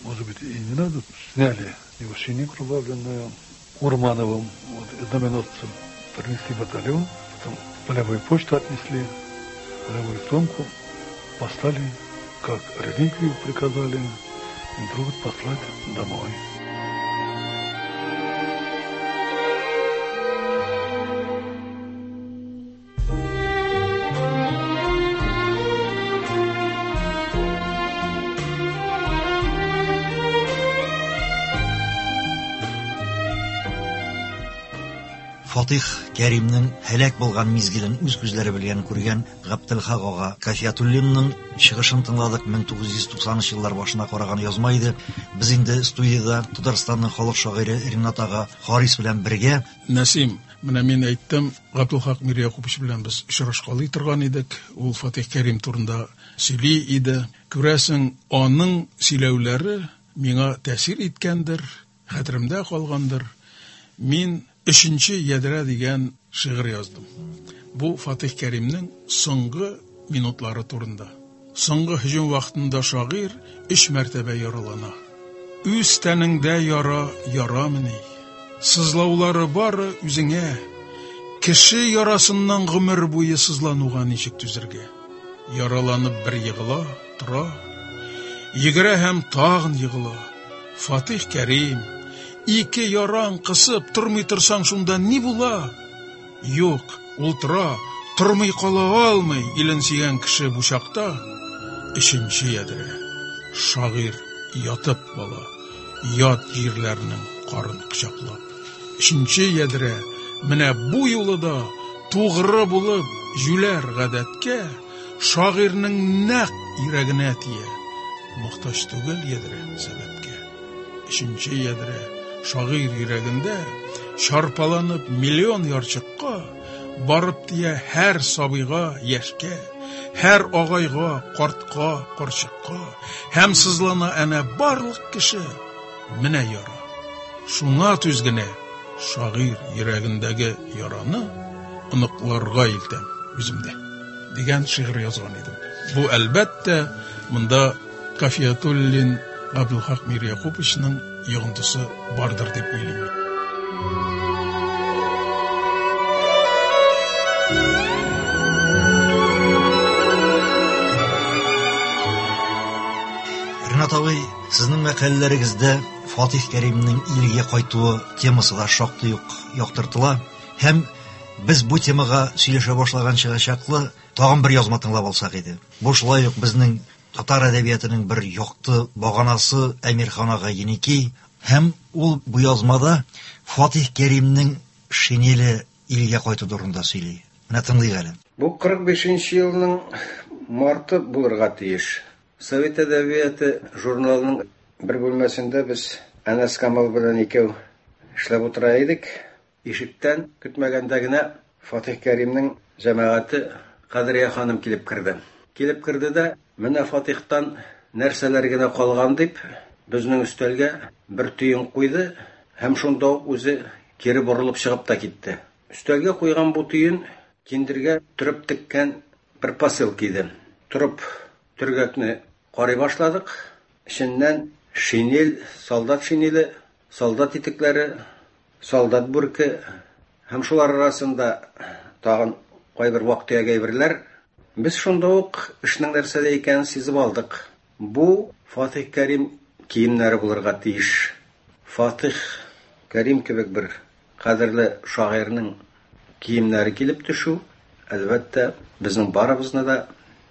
может быть, и не надо. Сняли его шинель кровавленную Урмановым, вот, знаменосцем. Принесли батальон, потом полевую почту отнесли, полевую сумку послали, как реликвию приказали, и друг послать домой. Фатих Кәримнең һәлак булган мизгелен үз күзләре белән күргән Габделхак ага Кафиятуллинның чыгышын тыңладык. 1990 еллар башына караган язма иде. Без инде студиядә Татарстанның халык шагыйре Ринат ага Харис белән бергә. Нәсим, менә мин әйттем, Габделхак Мирьякупович белән без очрашкалый торган идек. Ул Фатих Кәрим турында сөйли иде. Күрәсең, аның сөйләүләре миңа тәэсир иткәндер, хәтеремдә калгандыр. Мин Өченче ядрә дигән шигырь яздым. Бу Фатих Кәримнең соңгы минутлары турында. Соңгы һөҗүм вакытында шагыйрь өч мәртәбә яралана. Үз тәнеңдә яра ярамыни? Сызлаулары бары үзеңә. Кеше ярасыннан гомер буе сызлануга ничек түзергә? Яраланып бер егыла, тора. Йөгерә һәм тагын егыла. Фатих Кәрим, ике яраң кысып тормый торсаң шунда ни була? Юк, ул тора, тормый кала алмый илен сөйгән кеше бу чакта. Өченче ядрә. Шагыйрь ятып бала, ят җирләрнең карын кочаклап. Өченче ядрә, менә бу юлы да тугры булып җүләр гадәткә, шагыйрьнең нәкъ йөрәгенә тия. Мохтаҗ түгел ядрә сәбәпкә. Өченче ядрә шагыйрь йөрәгендә чарпаланып миллион ярчыкка барып тия һәр сабыйга, яшькә, һәр агайга, картка, карчыкка, һәм сызлана әнә барлык кеше. Менә яра. Шуңа түз генә шагыйрь йөрәгендәге яраны оныкларга илтәм үземдә дигән шигырь язган идем. Бу әлбәттә монда Кафиятуллин Габделхак Мирьякуповичның йогынтысы бардыр дип уйлыйм. Ринат абый, сезнең мәкаләләрегездә Фатих Кәримнең илгә кайтуы темасы да шактый ук яктыртыла. Һәм без бу темага сөйләшә башлаганчыга чаклы тагын бер язма тыңлап алсак иде. Бу шулай ук безнең татар әдәбиятының бер якты баганасы Әмирхан ага Еники. Һәм ул бу язмада Фатих Кәримнең шинеле илгә кайту турында сөйли. Менә тыңлыйк әле. Бу 45 елның марты булырга тиеш. Совет әдәбияты журналының бер бүлмәсендә без Әнәс Камал белән икәү эшләп утыра идек. Ишектән көтмәгәндә генә Фатих Кәримнең җәмәгате Кадрия ханым килеп керде. Килеп керде дә, менә Фатихтан нәрсәләр генә калган дип, безнең өстәлгә бер төен куйды һәм шунда ук үзе кире борылып чыгып та китте. Өстәлгә куйган бу төен киндергә төреп теккән бер посылка иде. Торып төргәкне карый башладык. Эченнән шинель, солдат шинеле, солдат итекләре, солдат бүрке һәм шулар арасында тагын кайбер вак-төяк әйберләр. Без шунда ук эшнең нәрсәдә икәнен сизеп алдык. Бу Фатих Кәрим киемнәре булырга тиеш. Фатих Кәрим кебек бер кадерле шагыйрьнең киемнәре килеп төшү, әлбәттә, безнең барыбызны да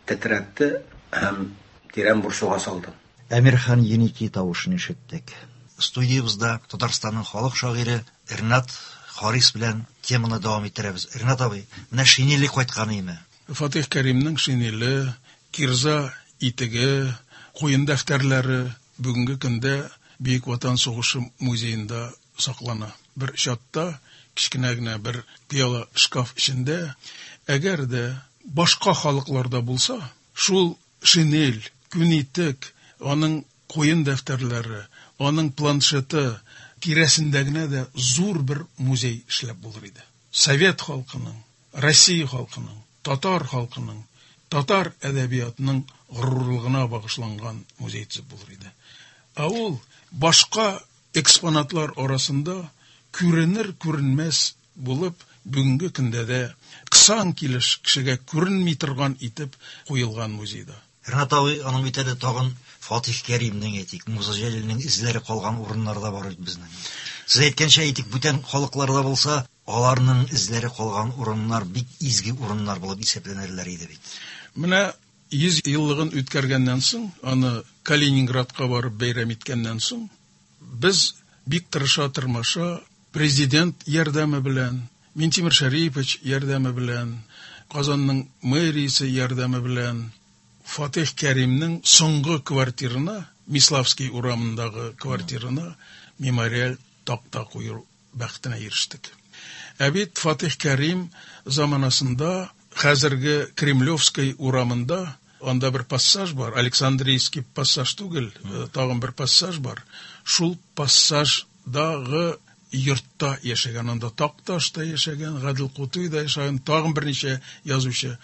тетрәтте һәм тирән борчуга салды. Әмирхан Еники тавышын ишеттек. Студиябездә Татарстанның халык шагыйре Ринат Харис белән теманы дәвам иттерәбез. Ринат абый, менә шинеле кайткан име? Фатих Кәримнең шинеле кирза итеге, куен дәфтәрләре бүгенге көндә Бөек Ватан сугышы музеенда саклана. Бер чатта, кечкенә генә бер пыяла шкаф эчендә, әгәр дә башка халыкларда булса, шул шинель, күн итек, аның куен дәфтәрләре, аның планшеты тирәсендә генә дә зур бер музей эшләп булыр иде. Совет халкының, Россия халкының, татар халкының, татар әдәбиятының горурлыгына багышланган музей төзеп булыр иде. Ә ул башка экспонатлар арасында күренер-күренмәс булып, бүгенге көндә дә кысан килеш кешегә күренми торган итеп куелган музейда. Ренат абый, аның бит әле тагын Фатих Кәримнең, әйтик, Муса Җәлилнең эзләре калган урыннары да бар бит безнең. Сез әйткәнчә, әйтик, бүтән халыкларда булса, аларның эзләре калган урыннар бик изге урыннар булып исәпләнерләр иде бит. Менә 100 еллыгын үткәргәннән соң, аны Калининградка барып бәйрәм иткәннән соң, без бик тырыша-тырмаша президент ярдәме белән, Минтимер Шәрипович ярдәме белән, Казанның мэриясе ярдәме белән Фатих Кәримнең соңгы квартирына, Миславский урамындагы квартирына мемориаль такта кую бәхетенә ирештек. Ә бит Фатих Кәрим заманасында хәзерге Кремлевской урамында анда бер пассаж бар, Александрийский пассаж түгел, тагын бер пассаж бар. Шул пассаждагы йортта яшәгән, анда Такташ та яшәгән, Гадел Кутуй да яшәгән, тагын берничә язучы.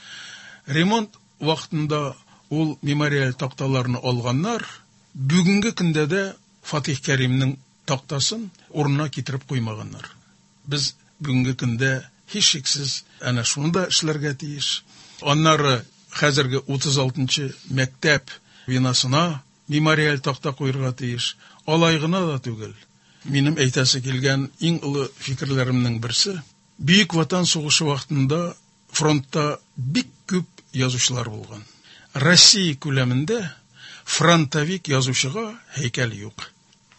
Ремонт вакытында ул мемориаль такталарны алганнар. Бүгенге көндә дә Фатих Кәримнең тактасын урынына китереп куймаганнар. Без бүгенге көндә һичшиксез әнә шуны да эшләргә тиеш. Аннары хәзерге 36 мәктәп бинасына мемориаль такта куярга тиеш. Алай гына да түгел. Минем әйтәсе килгән иң олы фикерләремнең берсе, Бөек Ватан сугышы вакытында фронтта бик күп язучылар булган. Россия күләмендә фронтовик язучыга һәйкәл юк.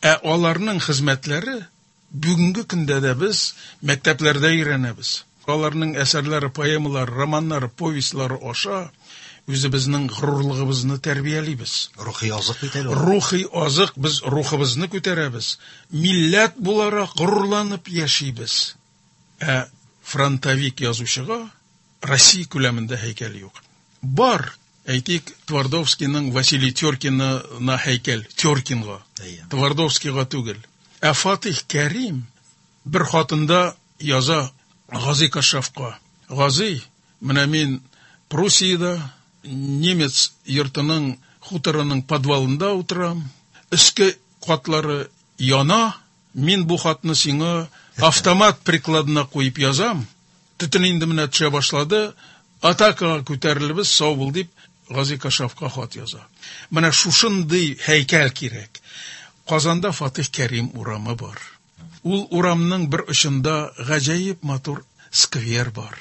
Ә аларның хезмәтләре бүгенге көндә дә без мәктәпләрдә өйрәнәбез. Аларның әсәрләре, поэмалары, романнары, повестьлары аша үзебезнең горурлыгыбызны тәрбиялибез. Рухи азык бит әле ул. Рухи азык, без рухыбызны күтәрәбез. Милләт буларак горурланып яшибез. Ә фронтовик язучыга Россия күләмендә һәйкәл юк. Бар, әйтик, Твардовскийның Василий Теркинына һәйкәл, Теркинга, Твардовскийга түгел. Ә Фатих Кәрим бер хатында яза Гази Кашшафка. Гази, менә мин Пруссиядә, немец йортының, хуторының подвалында утырам, өске катлары яна, мин бу хатны сиңа автомат прикладына куеп язам, төтен инде менә төшә башлады, атакага күтәрелебез, сау бул дип, Гази Кашшафка хат яза. Менә шушындый һәйкәл кирәк. Казанда Фатих Кәрим урамы бар. Ул урамның бер очында гаҗәеп матур сквер бар.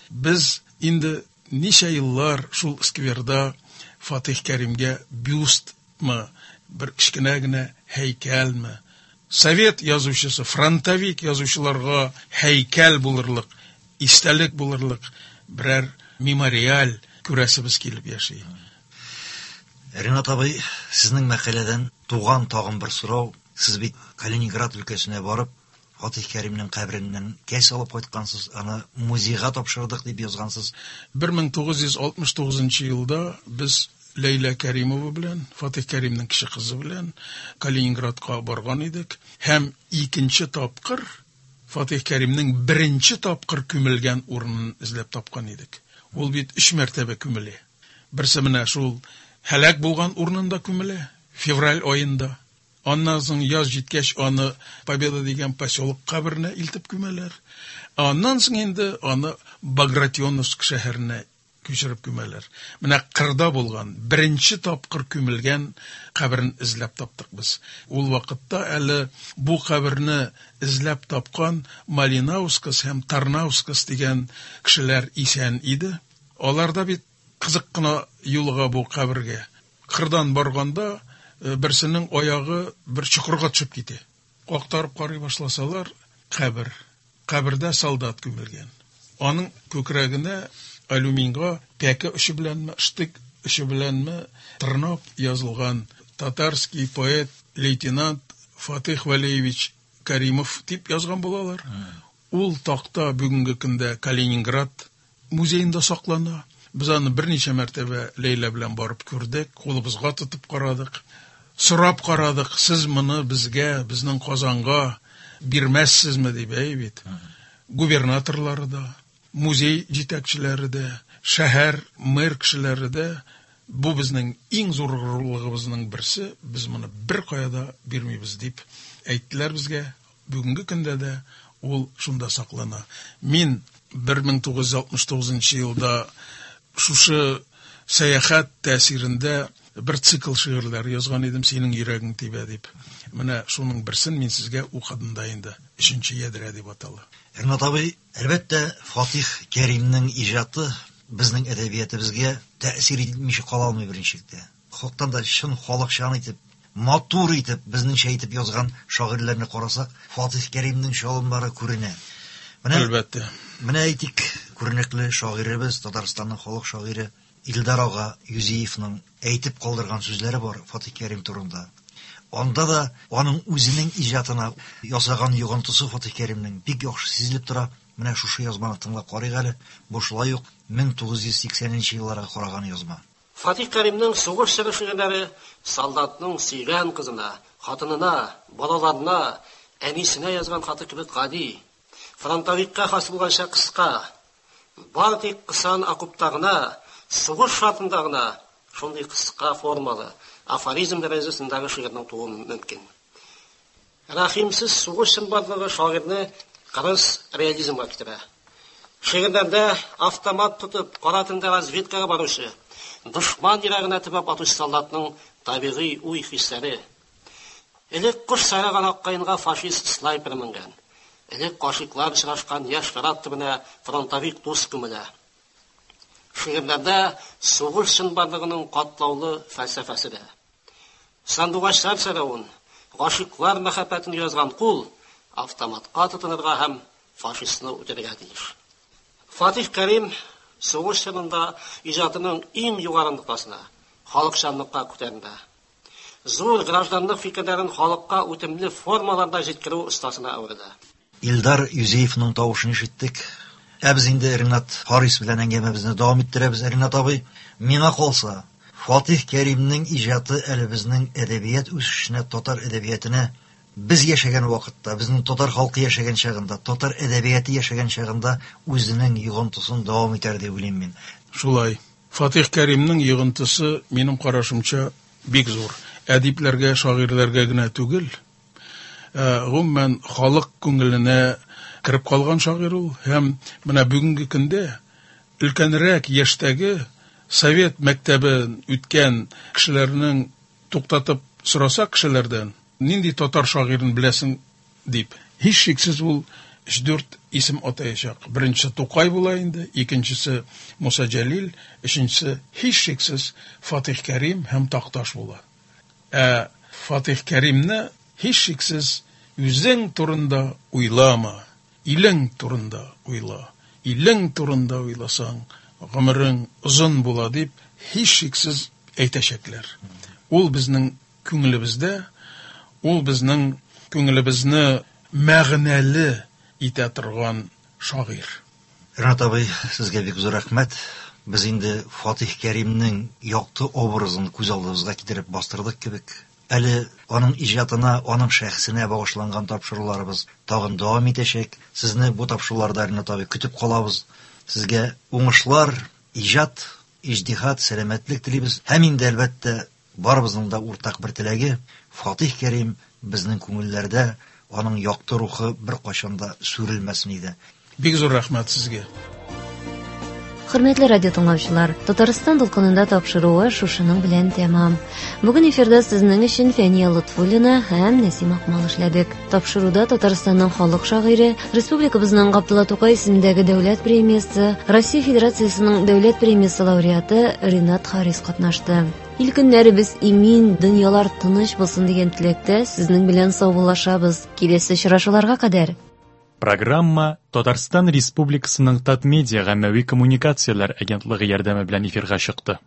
Без инде ничә еллар шул скверда Фатих Кәримгә бюстмы, бер кечкенә генә һәйкәлме, совет язучысы, фронтовик язучыларга һәйкәл булырлык, истәлек булырлык берәр мемориаль күрәсебез килеп яши. Ренат абый, сезнең мәкаләдән туган тагын бер сорау. Сез бит Калининград өлкәсенә барып, Фатих Кәримнең кабереннән кәс алып кайткансыз, аны музейга тапшырдык дип язгансыз. 1969 елда без Ләйлә Кәримова белән, Фатих Кәримнең кече кызы белән Калининградка барган идек. Һәм икенче тапкыр Фатих Кәримнең беренче тапкыр күмелгән урынын эзләп тапкан идек. Ул бит 3 мәртәбә күмелә. Берсе менә шул һәлак булган урынында күмелә, февраль аенда. Аннан соң яз җиткәч аны Победа дигән поселок каберенә илтеп күмәләр. Ә аннан соң инде аны Багратионовск шәһәренә күчереп күмәләр. Менә кырда булган, беренче тапкыр күмелгән каберен эзләп таптык без. Ул вакытта әле бу каберне эзләп тапкан Малинаускас һәм Тарнаускас дигән кешеләр исән иде. Аларда бит кызык кына юлыга бу кабергә. Кырдан барганда берсенең аягы бер чокырга төшеп китә. Актарып карый башласалар, кабер. Кабердә солдат күмелгән. Аның күкрәгенә алюминга пәке очы беләнме штык очы беләнме тырнап язылган татарский поэт лейтенант Фатих Вәлиевич Каримов дип язган булалар. Ул такта бүгенге көндә Калининград музеенда саклана. Без аны берничә мәртәбә Ләйлә белән барып күрдек, кулыбызга тотып карадык. Сорап карадык, сез моны безгә, безнең Казанга бирмәссезме дип, әй бит. Губернаторлары да, музей җитәкчеләре дә, шәһәр мэр кешеләре дә бу безнең иң зур горурлыгыбызның берсе, без моны беркая да бирмибез дип әйттеләр безгә. Бүгенге көндә дә ул шунда саклана. Мин 1969 елда шушы сәяхәт тәэсирендә бер цикл шигырьләр язган идем, Синең йөрәгең тибә дип. Менә шуның берсен мин сезгә укыдым да инде. Өченче ядрә дип атала. Ринат абый, әлбәттә, Фатих Кәримнең иҗаты безнең әдәбиятыбызга тәэсир итмичә кала алмый берничек тә. Хактан да чын халыкчан итеп, матур итеп, безнеңчә итеп язган шагыйрьләрне карасак, Фатих Кәримнең чалымнары күренә. Менә, Әлбәттә. Менә әйтик, күренекле шагыйребез, Татарстанның халык шагыйре Илдар ага Юзиевның әйтеп калдырган сүзләре бар Фатих Кәрим турында. Анда да аның үзенең иҗатына ясаган йогынтысы Фатих Кәримнең бик яхшы сизелеп тора. Менә шушы язманы тыңлап карыйк әле. Бу шулай ук 1980 елларга караган язма. Фатих Кәримнең сугыш чоры шигырьләре солдатның сөйгән кызына, хатынына, балаларына, әнисенә язган хаты кебек гади, фронтовикка хас булганча кыска. Бары тик кысан окопта гына, сугыш шартында гына шундый кыска формалы, афоризм дәрәҗәсендәге шигырьнең тууы мөмкин. Рәхимсез сугыш чынбарлыгы шагыйрьне кырыс реализмга китерә. Шигырьләрдә автомат тотып, кара төндә разведкага баручы, дошман йөрәгенә төбәп атучы солдатның табигый уй-хисләре. Элек кош сайраган аккаенга фашист снайпер менгән. Элек гашыйклар очрашкан яшь нарат төбенә фронтовик дус күмелә. Шигырьләрдә сугыш чынбарлыгының катлаулы фәлсәфәсе дә. Сандугачлар сайравын, гашыйклар мәхәббәтен язган кул автоматка тотынырга һәм фашистны үтерергә тиеш. Фатих Кәрим сугыш чорында иҗатының иң югары ноктасына, халыкчанлыкка күтәрелә. Зур гражданлык фикерләрен халыкка үтемле формаларда җиткерү остасына әверелә. Илдар Юзеевның тавышын ишеттек. Ә без инде Ринат Харис белән әңгәмәбезне дәвам иттерәбез. Ринат абый, миңа калса, Фатих Кәримнең иҗаты әле безнең әдәбият үсешенә, татар әдәбиятына без яшәгән вакытта, безнең татар халкы яшәгән чагында, татар әдәбияты яшәгән чагында үзенең йогынтысын дәвам итәр дип уйлыйм мин. Шулай. Фатих Кәримнең йогынтысы, минем карашымча, бик зур. Әдипләргә, шагыйрьләргә генә түгел, гомумән халык күңеленә кереп калган шагыйрь ул. Һәм менә бүгенге көндә өлкәнрәк яшьтәге совет мәктәбен үткән кешеләрнең туктатып сораса кешеләрдән, нинди татар шагыйрен беләсең дип, һичшиксез ул өч-дүрт исем атаячак. Беренчесе Тукай була инде, икенчесе Муса Җәлил, өченчесе һичшиксез Фатих Кәрим һәм Такташ була. Ә Фатих Кәримне һичшиксез үзең турында уйлама, илең турында уйла. Илең турында уйласаң, гомерең озын була дип һичшиксез әйтәчәкләр. Ул безнең күңелебездә, ул безнең күңелебезне мәгънәле итә торган шагыйрь. Ринат абый, сезгә бик зур рәхмәт. Без инде Фатих Кәримнең якты образын күз алдыбызга китереп бастырдык кебек. Әле аның иҗатына, аның шәхесенә багышланган тапшыруларыбыз тагын дәвам итәчәк. Сезне бу тапшыруларда, Ринат абый, көтеп калабыз. Сезгә уңышлар, иҗат, иҗтиһад, сәламәтлек телибез. Һәм инде, әлбәттә, барыбызның да уртак бер теләге, Фатих Кәрим безнең күңелләрдә, аның якты рухы беркайчан да сүрелмәсен иде. Бик зур рәхмәт сезгә. Хөрмәтле радио тыңлаучылар, Татарстан дулкынында тапшыруы шушының белән тәмам. Бүген эфирда сезнең өчен Фәния Лотфуллина һәм Нәсим Акмал эшләдек. Тапшыруда Татарстанның халык шагыйре, республикабызның Габдулла Тукай исемендәге дәүләт премиясе, Россия Федерациясенең дәүләт премиясе лауреаты Ринат Харис катнашты. Ил көннәребез имин, дөньялар тыныч булсын дигән теләктә сезнең белән саубуллашабыз. Киләсе очрашуларга кадәр. Программа Татарстан Республикасының Татмедиа гаммәви коммуникацияләр агентлыгы ярдәме белән эфирга чыкты.